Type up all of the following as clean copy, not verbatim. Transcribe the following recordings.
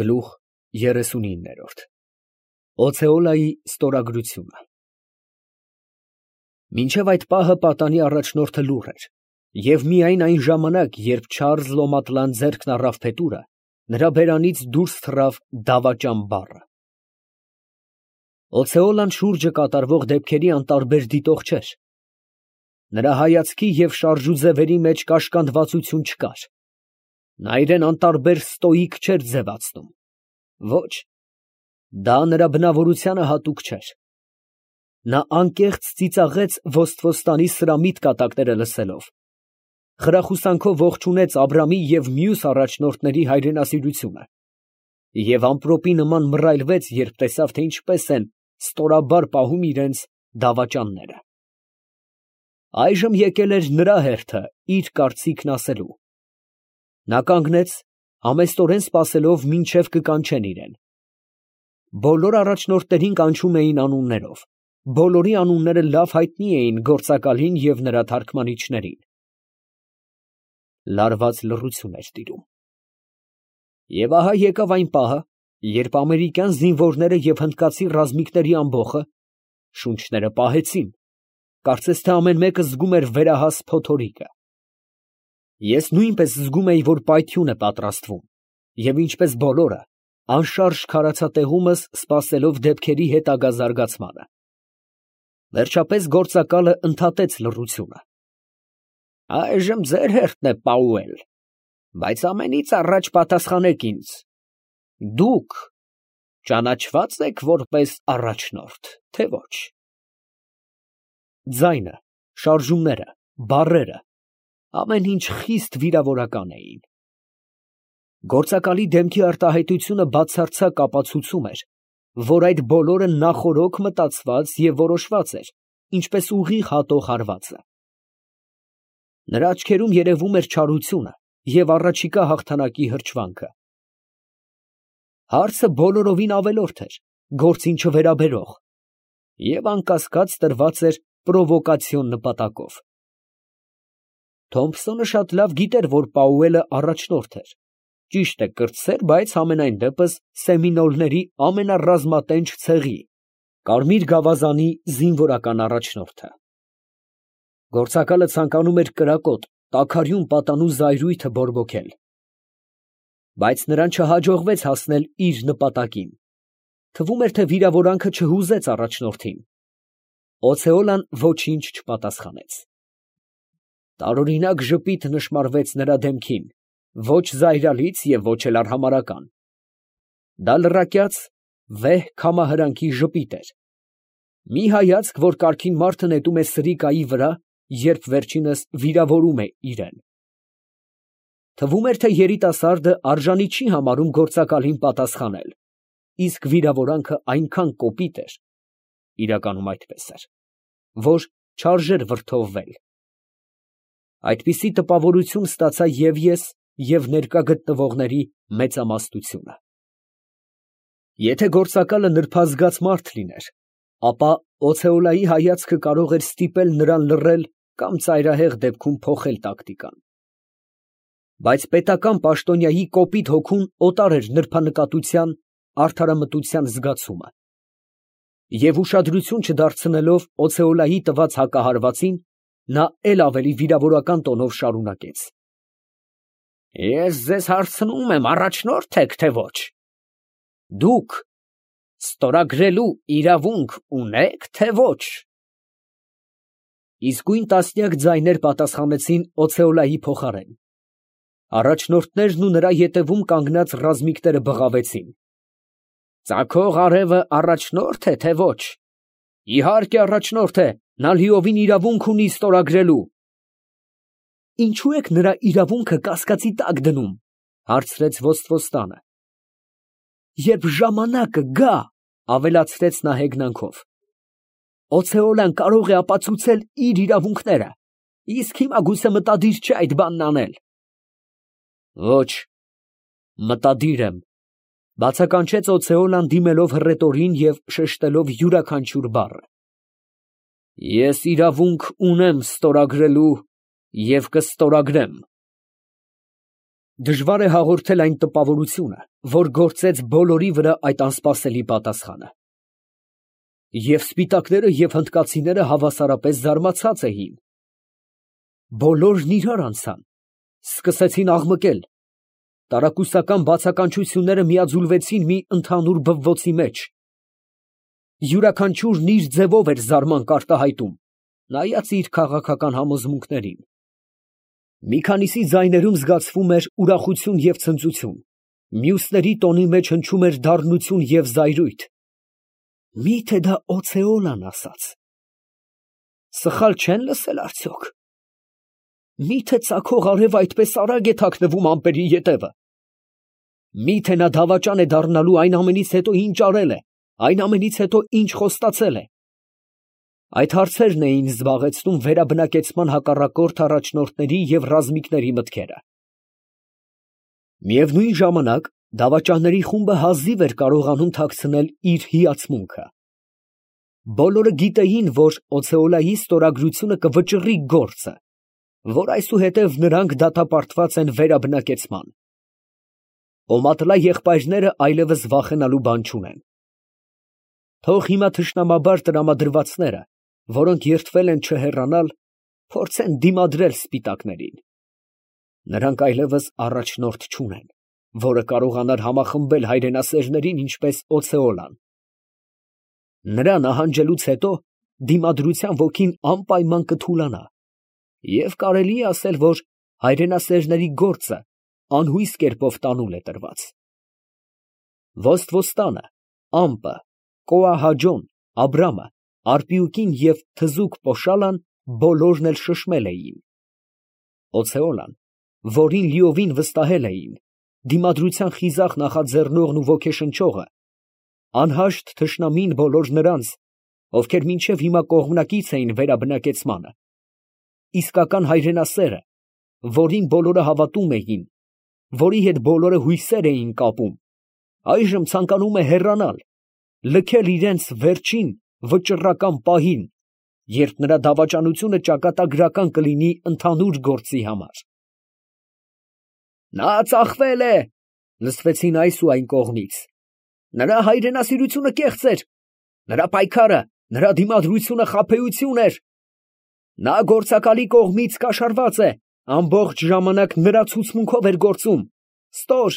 Գլուխ 39 Օցեոլայի ստորագրությունը Մինչև այդ պահը պատանի առաջնորդը լուռ էր, և միայն այն ժամանակ, երբ Չարլզ Լոմատլան ձեռքն առավ փետուրը, նրա բերանից դուրս թռավ դավաճան բառը։ Օցեոլան շուրջը կատարվող դեպքերի անտարբեր դիտող չէր. նրա հայացքի և շարժուձևերի մեջ կաշկանդվածություն չկար, նա իրեն անտարբեր ստոիկ չէր ձևացնում, ոչ, դա նրա բնավորությանը հատուկ չէր։ Նա անկեղծ ծիծաղեց Ոստվոստանի սրամիտ կատակները լսելով, խրախուսանքով ողջունեց Աբրամի և մյուս առաջնորդների հայրենասիրությունը և ամպրոպի նման մռայլվեց, երբ տեսավ, թե ինչպես են ստորաբար պահում իրենց դավաճանները։ Այժմ եկել էր նրա հերթը իր կարծիքն ասելու։ Նա կանգնեց, համեստորեն սպասելով, մինչև կկանչեն իրեն։ Բոլոր առաջնորդներին կանչում էին անուններով, բոլորի անունները լավ հայտնի էին գործակալին և նրա թարգմանիչներին։ Լարված լռություն էր տիրում։ Եվ ահա եկավ այն պահը, երբ ամերիկյան զինվորները և հնդկացի ռազմիկների ամբոխը շունչները պահեցին, կարծես թե ամեն մեկը զգում էր վերահաս փոթորիկը։ Ես նույնպես զգում էի, որ պայթյուն է պատրաստվում, և ինչպես բոլորը, անշարժ քարացա տեղումս, սպասելով դեպքերի հետագա զարգացմանը։ Վերջապես գործակալը ընդհատեց լռությունը։ Այժմ ձեր հերթն է, Պաուել, բայց ամենից առաջ պատասխանեք ինձ. դուք ճանաչվա՞ծ եք որպես առաջնորդ, թե ոչ։ Ձայնը, շարժումները, բառերը, ամեն ինչ խիստ վիրավորական էին։ Գործակալի դեմքի արտահայտությունը բացարձակ ապացուցում էր, որ այդ բոլորը նախօրոք մտածված և որոշված էր, ինչպես ուղիղ հատող հարվածը։ Նրա աչքերում երևում էր չարությունը և առաջիկա հաղթանակի հրճվանքը։ Հարցը բոլորովին ավելորդ էր, գործին չվերաբերող, և անկասկած տրված էր պրովոկացիոն նպատակով։ Թոմփսոնը շատ լավ գիտեր, որ Պաուելը առաջնորդ էր, ճիշտ է, կրտսեր, բայց համենայն դեպս սեմինոլների ամենառազմատենչ ցեղի՝ կարմիր գավազանի զինվորական առաջնորդը։ Գործակալը ցանկանում էր կրակոտ, տաքարյուն պատանու զայրույթը բորբոքել, բայց նրան չհաջողվեց հասնել իր նպատակին։ Թվում էր, թե վիրավորանքը չհուզեց առաջնորդին։ Օցեոլան ոչինչ չպատասխանեց։ Տարօրինակ ժպիտ նշմարվեց նրա դեմքին, ոչ զայրալից և ոչ էլ արհամարհական։ Դա լռակյաց, վեհ քամահրանքի ժպիտ էր, մի հայացք, որ կարգին մարդը նետում է սրիկայի վրա, երբ վերջինս վիրավորում է իրեն։ Թվում էր, թե երիտասարդը արժանի չի համարում գործակալին պատասխանել, իսկ վիրավորանքը այնքան կոպիտ էր (իրականում այդպես էր), որ չարժեր վրդովվել։ Այդպիսի տպավորություն ստացա և ես, և ներկա գտնվողների մեծամասնությունը։ Եթե գործակալը նրբազգաց մարդ լիներ, ապա Օցեոլայի հայացքը կարող էր ստիպել նրան լռել կամ ծայրահեղ դեպքում փոխել տակտիկան։ Բայց պետական պաշտոնյայի կոպիտ հոգուն օտար էր նրբանկատության, արդարամտության զգացումը։ Եվ ուշադրություն չդարձնելով Օցեոլայի տված հակահարվածին, նա էլ ավելի վիրավորական տոնով շարունակեց. Ես ձեզ հարցնում եմ, առաջնո՞րդ եք, թե ոչ։ Դուք ստորագրելու իրավունք ունե՞ք, թե ոչ։ Իսկույն տասնյակ ձայներ պատասխանեցին Օցեոլայի փոխարեն։ Առաջնորդներն ու նրա ետևում կանգնած ռազմիկները բղավեցին. Ծագող արևը առաջնո՞րդ է, թե ոչ։ Իհարկե առաջնորդ է, նա լիովին իրավունք ունի ստորագրելու։ Ինչո՞ւ եք նրա իրավունքը կասկածի տակ դնում, հարցրեց Ոստվոստանը։ Երբ ժամանակը գա, ավելացրեց նա հեգնանքով, Օցեոլան կարող է ապացուցել իր իրավունքները, իսկ հիմա գուցե մտադիր չէ այդ բանն անել։ Ոչ, մտադիր եմ, բացականչեց Օցեոլան դիմելով հռետորին և շեշտելով յուրաքանչյուր բառը։ Ես իրավունք ունեմ ստորագրելու և կստորագրեմ։ Դժվար է հաղորդել այն տպավորությունը, որ գործեց բոլորի վրա այդ անսպասելի պատասխանը։ Եվ սպիտակները և հնդկացիները հավասարապես զարմացած էին։ Բոլորն իրար անցան, սկսեցին աղմկել, տարակուսական բացականչությունները միաձուլվեցին մի ընդհանուր բվոցի մեջ։ Յուրաքանչյուրն իր ձևով էր զարմանք արտահայտում, նայած իր քաղաքական համոզմունքներին։ Մի քանիսի ձայներում զգացվում էր ուրախություն և ցնծություն, մյուսների տոնի մեջ հնչում էր դառնություն և զայրույթ։ Մի՞թե դա օցեոլան ասաց։ Սխալ չեն լսել արդյոք։ Մի՞թե ծագող արև այդպես արագ է թաքնվում ամպերի ետևը։ Մի՞թե նա դավաճան է դառնալու այն ամենից հետո, ինչ արել է, այն ամենից հետո, ինչ խոստացել է։ Այդ հարցերն էին զբաղեցնում վերաբնակեցման հակառակորդ առաջնորդների և ռազմիկների մտքերը։ Միևնույն ժամանակ դավաճանների խումբը հազիվ էր կարողանում թաքցնել իր հիացմունքը։ Բոլորը գիտեին, որ օցեոլայի ստորագրությունը կվճռի գործը, որ այսուհետև նրանք դատապարտված են վերաբնակեցման։ Օմատլա եղբայրները այլևս վախենալու բան չունեն։ Թող հիմա թշնամաբար տրամադրվածները, որոնք երդվել են չհեռանալ, փորձեն դիմադրել սպիտակներին։ Նրանք այլևս առաջնորդ չունեն, որը կարողանար համախմբել հայրենասերներին, ինչպես օցեոլան։ Նրա նահանջելուց հետո դիմադրության ոգին անպայման կթուլանա, և կարելի է ասել, որ հայրենասերների գործը անհույս կերպով տանուլ է տրված։ Ոստվոստանը, ամպը, Կոահաջոն, Աբրամը, Արպիուկին և թզուկ Պոշալան բոլորն էլ շշմել էին։ Օցեոլան, որին լիովին վստահել էին, դիմադրության խիզախ նախաձեռնողն ու ոգեշնչողը, անհաշտ թշնամին բոլոր նրանց, ովքեր մինչև հիմա կողմնակից էին վերաբնակեցմանը, իսկական հայրենասերը, որին բոլորը հավատում էին, որի հետ բոլորը հույսեր էին կապում, այժմ ցանկանում է հեռանալ, լքել իրենց վերջին վճռական պահին, երբ նրա դավաճանությունը ճակատագրական կլինի ընդհանուր գործի համար։ Նա ծախվել է, լսվեցին այս ու այն կողմից։ Նրա հայրենասիրությունը կեղծ էր, նրա պայքարը, նրա դիմադրությունը խաբեություն էր։ Նա գործակալի կողմից կաշառված է, ամբողջ ժամանակ նրա ցուցմունքով էր գործում։ Ստոր,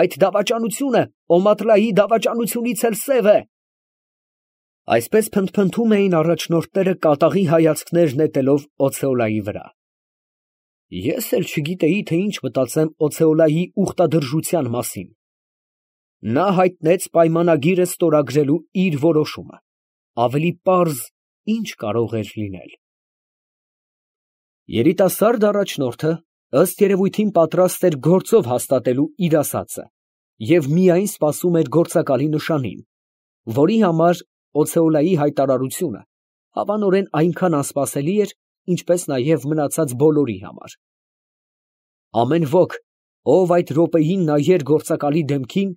այդ դավաճանությունը Օմատլայի դավաճանությունից էլ սև է։ Այսպես փնթփնթում էին առաջնորդները կատաղի հայացքներ նետելով օցեոլայի վրա։ Ես էլ չգիտեի, թե ինչ մտածեմ օցեոլայի ուխտադրժության մասին։ Նա հայտնեց պայմանագիրը ստորագրելու իր որոշումը, ավելի պարզ ինչ կարող էր լինել։ Երիտասարդ առաջնորդը ըստ երևույթին պատրաստ էր գործով հաստատելու իր ասածը և միայն սպասում էր գործակալի նշանին, որի համար օցեոլայի հայտարարությունը հավանորեն այնքան անսպասելի էր, ինչպես նաև մնացած բոլորի համար։ Ամեն ոք, ով այդ րոպեին նայեր գործակալի դեմքին,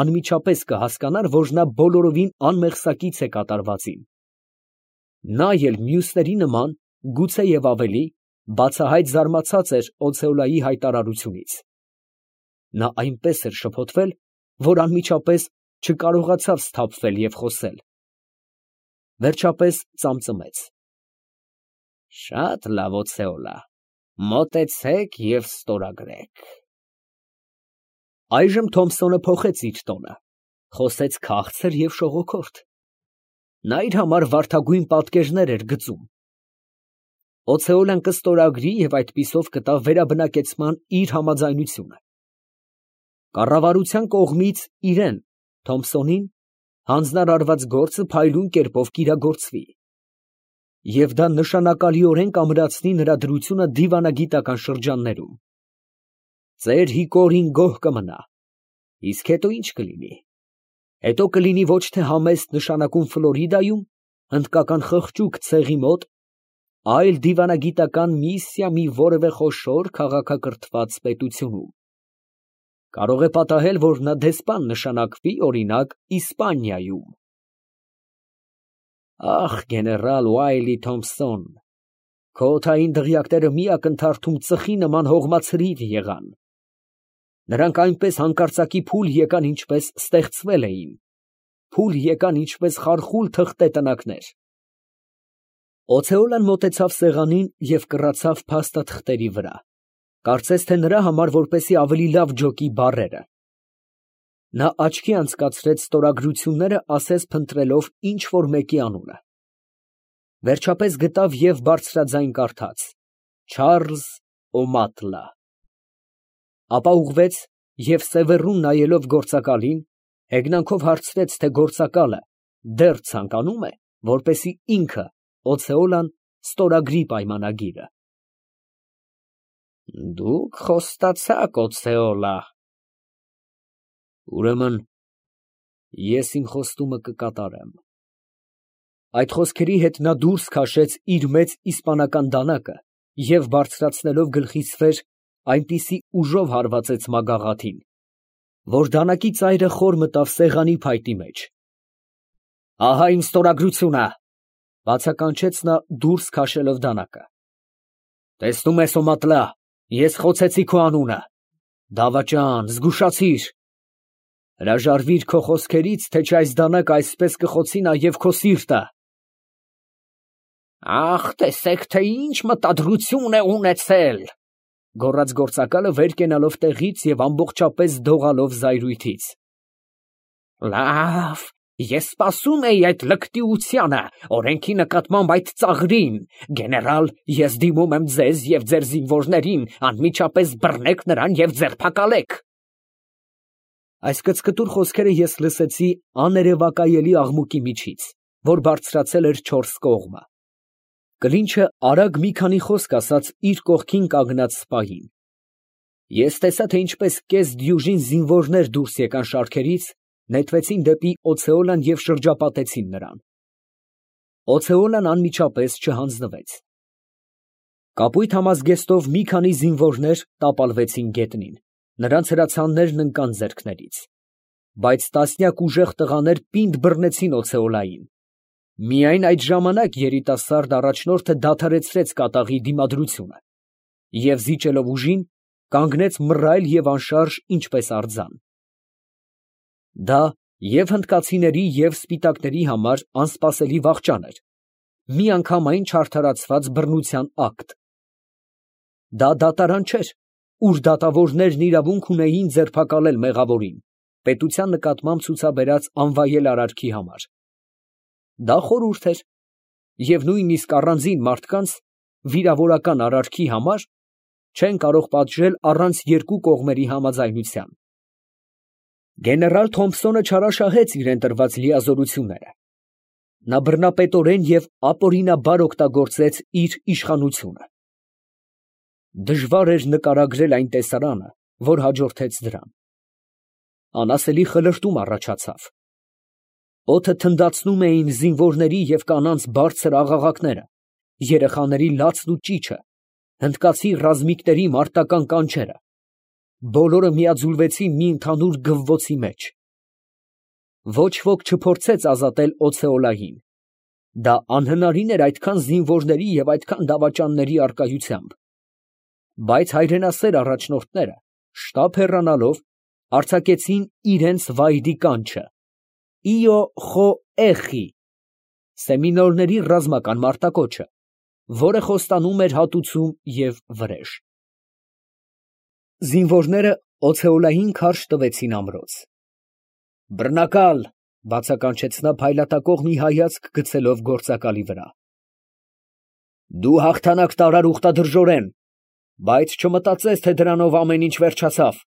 անմիջապես կհասկանար, որ նա բոլորովին անմեղսակից է կատարվածին։ Նա էլ մյուսների նման, գուցե և ավելի, բացահայտ զարմացած էր օցեոլայի հայտարարությունից։ Նա այնպես էր շփոթվել, որ անմիջապես չկարողացավ սթափվել և խոսել։ Վերջապես ծամծմեց. Շատ լավ, օցեոլա, մոտեցեք և ստորագրեք։ Այժմ Թոմսոնը փոխեց իր տոնը, խոսեց քաղցր և շողոքորթ։ Նա իր համար վարդագույն պատկերներ էր գծում։ Օցեոլան կստորագրի և այդպիսով կտա վերաբնակեցման իր համաձայնությունը։ Կառավարության կողմից իրեն, Թոմսոնին, հանձնարարված գործը փայլուն կերպով կիրագործվի, և դա նշանակալիորեն կամրացնի նրա դրությունը դիվանագիտական շրջաններում։ Ծեր հիկորին գոհ կմնա, իսկ հետո ի՞նչ կլինի։ Հետո կլինի ոչ թե համեստ նշանակում Ֆլորիդայում, հնդկական խղճուկ ցեղի մոտ, այլ դիվանագիտական միսիա մի որևէ խոշոր քաղաքակրթված պետությունում։ Կարող է պատահել, որ նա դեսպան նշանակվի, օրինակ, Իսպանիայում։ Ախ, գեներալ Ուայլի Թոմփսոն, քո օդային դղյակները մի ակնթարթում ծխի նման հողմացրիվ եղան։ Նրանք այնպես հանկարծակի փուլ եկան, ինչպես ստեղծվել էին, փուլ եկան, ինչպես խարխուլ թղթե տնակներ։ Օթեոլան մոտեցավ սեղանին և կռացավ փաստաթղթերի վրա, կարծես թե նրա համար, որպեսզի ավելի լավ ջոկի բառերը։ Նա աչքի անցկացրեց ստորագրությունները, ասես փնտրելով ինչ֊որ մեկի անունը։ Վերջապես գտավ և բարձրաձայն կարդաց. Չարլզ Օմատլա։ Ապա ուղղվեց և սևեռուն նայելով գործակալին, հեգնանքով հարցրեց, թե գործակալը դեռ ցանկանում է, որպեսզի ինքը, Օթեոլան, ստորագրի պայմանագիրը։ Դուք խոստացաք, Օթեոլա։ Ուրեմն ես իմ խոստումը կկատարեմ։ Այդ խոսքերի հետ նա դուրս քաշեց իր մեծ իսպանական դանակը և բարձրացնելով գլխից վեր, այնպիսի ուժով հարվածեց մագաղաթին, որ դանակի ծայրը խոր մտավ սեղանի փայտի մեջ։ Ահա իմ ստորագրությունը, բացականչեց նա դուրս քաշելով դանակը։ Տեսնում ես, Օմատլա, ես խոցեցի քո անունը, դավաճան, զգուշացիր, հրաժարվիր քո խոսքերից, թե չէ այս դանակը այսպես կխոցի նաև քո սիրտը։ Ախ, տեսեք, թե ինչ մտադրություն է ունեցել, գոռաց գործակալը վեր կենալով տեղից և ամբողջապես դողալով զայրույթից։ Լավ, ես սպասում էի այդ լկտիությանը, օրենքի նկատմամբ այդ ծաղրին, գեներալ, ես դիմում եմ ձեզ և ձեր զինվորներին, անմիջապես բռնեք նրան և ձերբակալեք։ Այս կծկտուր խոսքերը ես լսեցի աներևակայելի աղմուկի միջից, որ բարձրացել էր չորս կողմը։ Կլինչը արագ մի քանի խոսք ասաց իր կողքին կանգնած սպային։ Ես տեսա, թե ինչպես կես դյուժին զինվորներ դուրս եկան շարքերից, նետվեցին դեպի Օթեոլան և շրջապատեցին նրան։ Օթեոլան անմիջապես չհանձնվեց։ Կապույտ համազգեստով մի քանի զինվորներ տապալվեցին գետնին, նրանց հրացաններն ընկան ձեռքներից, բայց տասնյակ ուժեղ տղաներ պինդ բռնեցին Օթեոլային։ Միայն այդ ժամանակ երիտասարդ առաջնորդը դադարեցրեց կատաղի դիմադրությունը և, զիջելով ուժին, կանգնեց մռայլ և անշարժ, ինչպես արձան։ Դա և հնդկացիների, և սպիտակների համար անսպասելի վախճան էր, միանգամայն չարդարացված բռնության ակտ։ Դա դատարան չէր, ուր դատավորներն իրավունք ունեին ձերբակալել մեղավորին, պետության նկատմամբ ցուցաբերած անվայել արարքի համար։ Դա խորհուրդ էր, և նույնիսկ առանձին մարդկանց վիրավորական արարքի համար չեն կարող պատժել առանց երկու կողմերի համաձայնության։ Գեներալ Թոմփսոնը չարաշահեց իրան տրված լիազորությունները։ Նա բռնապետորեն և ապօրինաբար օգտագործեց իր իշխանությունը։ Դժվար էր նկարագրել այն տեսարանը, որ հաջորդեց դրան։ Անասելի խլրտում առաջացավ։ Օդը թնդացնում էին զինվորների և կանանց բարձր աղաղակները, երեխաների լացն ու ճիչը, հնդկացի ռազմիկների մարտական կանչերը։ Բոլորը միաձուլվեցին մի ընդհանուր գվվոցի մեջ։ Ոչ ոք չփորձեց ազատել Օթեոլային։ Դա անհնարին էր այդքան զինվորների և այդքան դավաճանների առկայությամբ։ Բայց հայրենասեր առաջնորդները, շտապ հեռանալով, արձակեցին իրենց վայրի կանչը. «Իո խո էխի» սեմինոլների ռազմական մարտակոչը, որը խոստանում էր հատուցում և վրեժ։ Զինվորները Օթեոլային քարշ տվեցին ամրոց։ «Բռնակալ», բացականչեց նա փայլատակող մի հայացք գցելով գործակալի վրա։ Դու հաղթանակ տարար ուխտադրժորեն, բայց չմտածես, թե դրանով ամեն ինչ վերջացավ։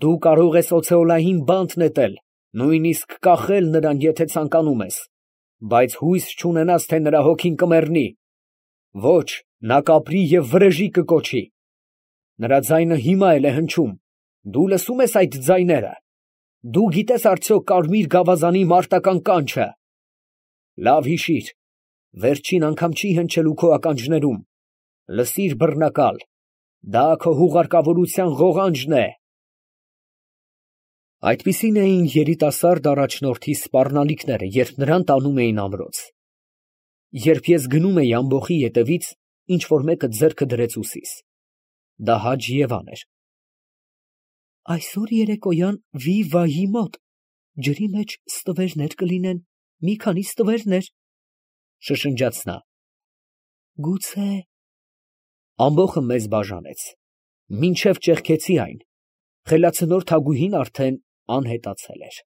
Դու կարող ես Օթեոլային բանտ նետել, նույնիսկ կախել նրան, եթե ցանկանում ես, բայց հույս չունենաս, թե նրա հոգին կմեռնի։ Ոչ, նա կապրի և վրեժի կկոչի։ Նրա ձայնը հիմա էլ է հնչում, դու լսո՞ւմ ես այդ ձայները։ Դու գիտես արդյոք կարմիր գավազանի մարտական կանչը։ Լավ հիշիր, վերջին անգամ չի հնչելու քո ականջներում։ Լսիր, բռնակալ, դա քո հուղարկավորության ղողանջն է։ Այդպիսին էին երիտասարդ առաջնորդի սպառնալիքները, երբ նրան տանում էին ամրոց։ Երբ ես գնում էի ամբոխի ետևից, ինչ որ մեկը ձեռքը դրեց ուսիս։ Դա Հաջ Եվան էր։ Այսօր երեկոյան վի֊վայի մոտ ջրի մեջ ստվերներ կլինեն, մի քանի ստվերներ, շշնջաց նա։ Գուցե… Ամբոխը մեզ բաժանեց, մինչև ճեղքեցի այն, խելացնոր թագուհին արդեն անհետացել էր։